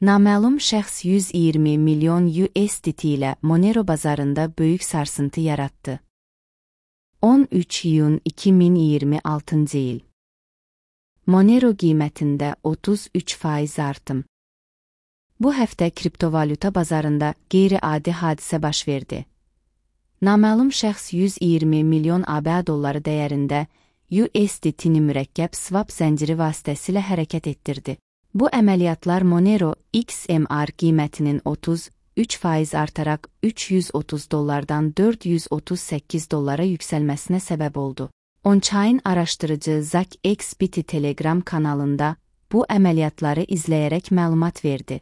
Naməlum şəxs 120 milyon USDT ilə Monero bazarında böyük sarsıntı yarattı. 13 iyun 2026 il. Monero qiymətində 33% artım. Bu həftə kriptovalyuta bazarında qeyri-adi hadisə baş verdi. Naməlum şəxs 120 milyon ABŞ dolları dəyərində USDT-ni mürəkkəb swap zənciri vasitəsilə hərəkət etdirdi. Bu əməliyyatlar Monero XMR qiymətinin 33% artaraq $330-dan $438 yüksəlməsinə səbəb oldu. On-chain araşdırıcı ZachXBT Telegram kanalında bu əməliyyatları izləyərək məlumat verdi.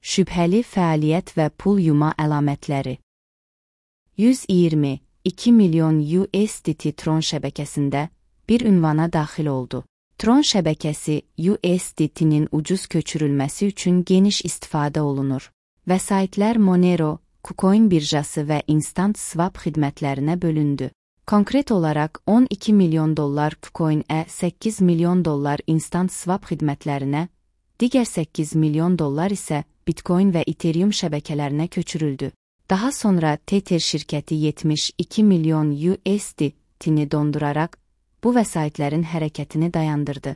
Şübhəli fəaliyyət və pul yuma əlamətləri. 122 milyon USDT Tron şəbəkəsində bir ünvana daxil oldu. Tron şəbəkəsi USDT-nin ucuz köçürülməsi üçün geniş istifadə olunur. Vəsaitlər Monero, KuCoin birjası və Instant Swap xidmətlərinə bölündü. Konkret olaraq $12 milyon KuCoin-ə, $8 milyon Instant Swap xidmətlərinə, digər $8 milyon isə Bitcoin və Ethereum şəbəkələrinə köçürüldü. Daha sonra Tether şirkəti 72 milyon USDT-ni donduraraq bu vəsaitlərin hərəkətini dayandırdı.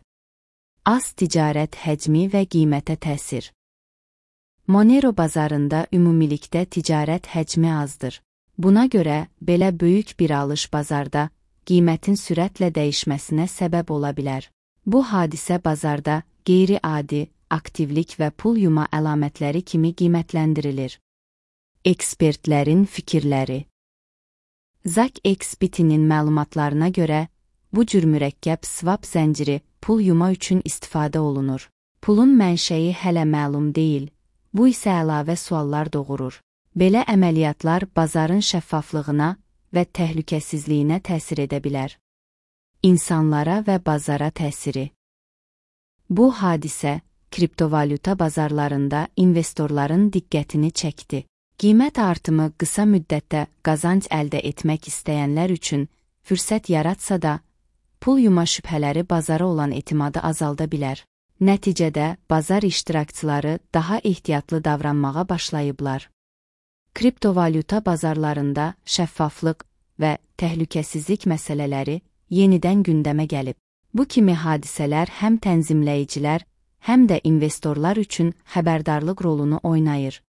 Az ticarət həcmi və qiymətə təsir. Monero bazarında ümumilikdə ticarət həcmi azdır. Buna görə belə böyük bir alış bazarda qiymətin sürətlə dəyişməsinə səbəb ola bilər. Bu hadisə bazarda qeyri-adi aktivlik və pul yuma əlamətləri kimi qiymətləndirilir. Ekspertlərin fikirləri. ZachXBT-nin məlumatlarına görə, bu cür mürəkkəb swap zənciri pul yuma üçün istifadə olunur. Pulun mənşəyi hələ məlum deyil, bu isə əlavə suallar doğurur. Belə əməliyyatlar bazarın şəffaflığına və təhlükəsizliyinə təsir edə bilər. İnsanlara və bazara təsiri. Bu hadisə kriptovalyuta bazarlarında investorların diqqətini çəkdi. Qiymət artımı qısa müddətdə qazanc əldə etmək istəyənlər üçün fürsət yaratsa da, pul yuma şübhələri bazara olan etimadı azalda bilər. Nəticədə bazar iştirakçıları daha ehtiyatlı davranmağa başlayıblar. Kriptovalyuta bazarlarında şəffaflıq və təhlükəsizlik məsələləri yenidən gündəmə gəlib. Bu kimi hadisələr həm tənzimləyicilər, həm də investorlar üçün xəbərdarlıq rolunu oynayır.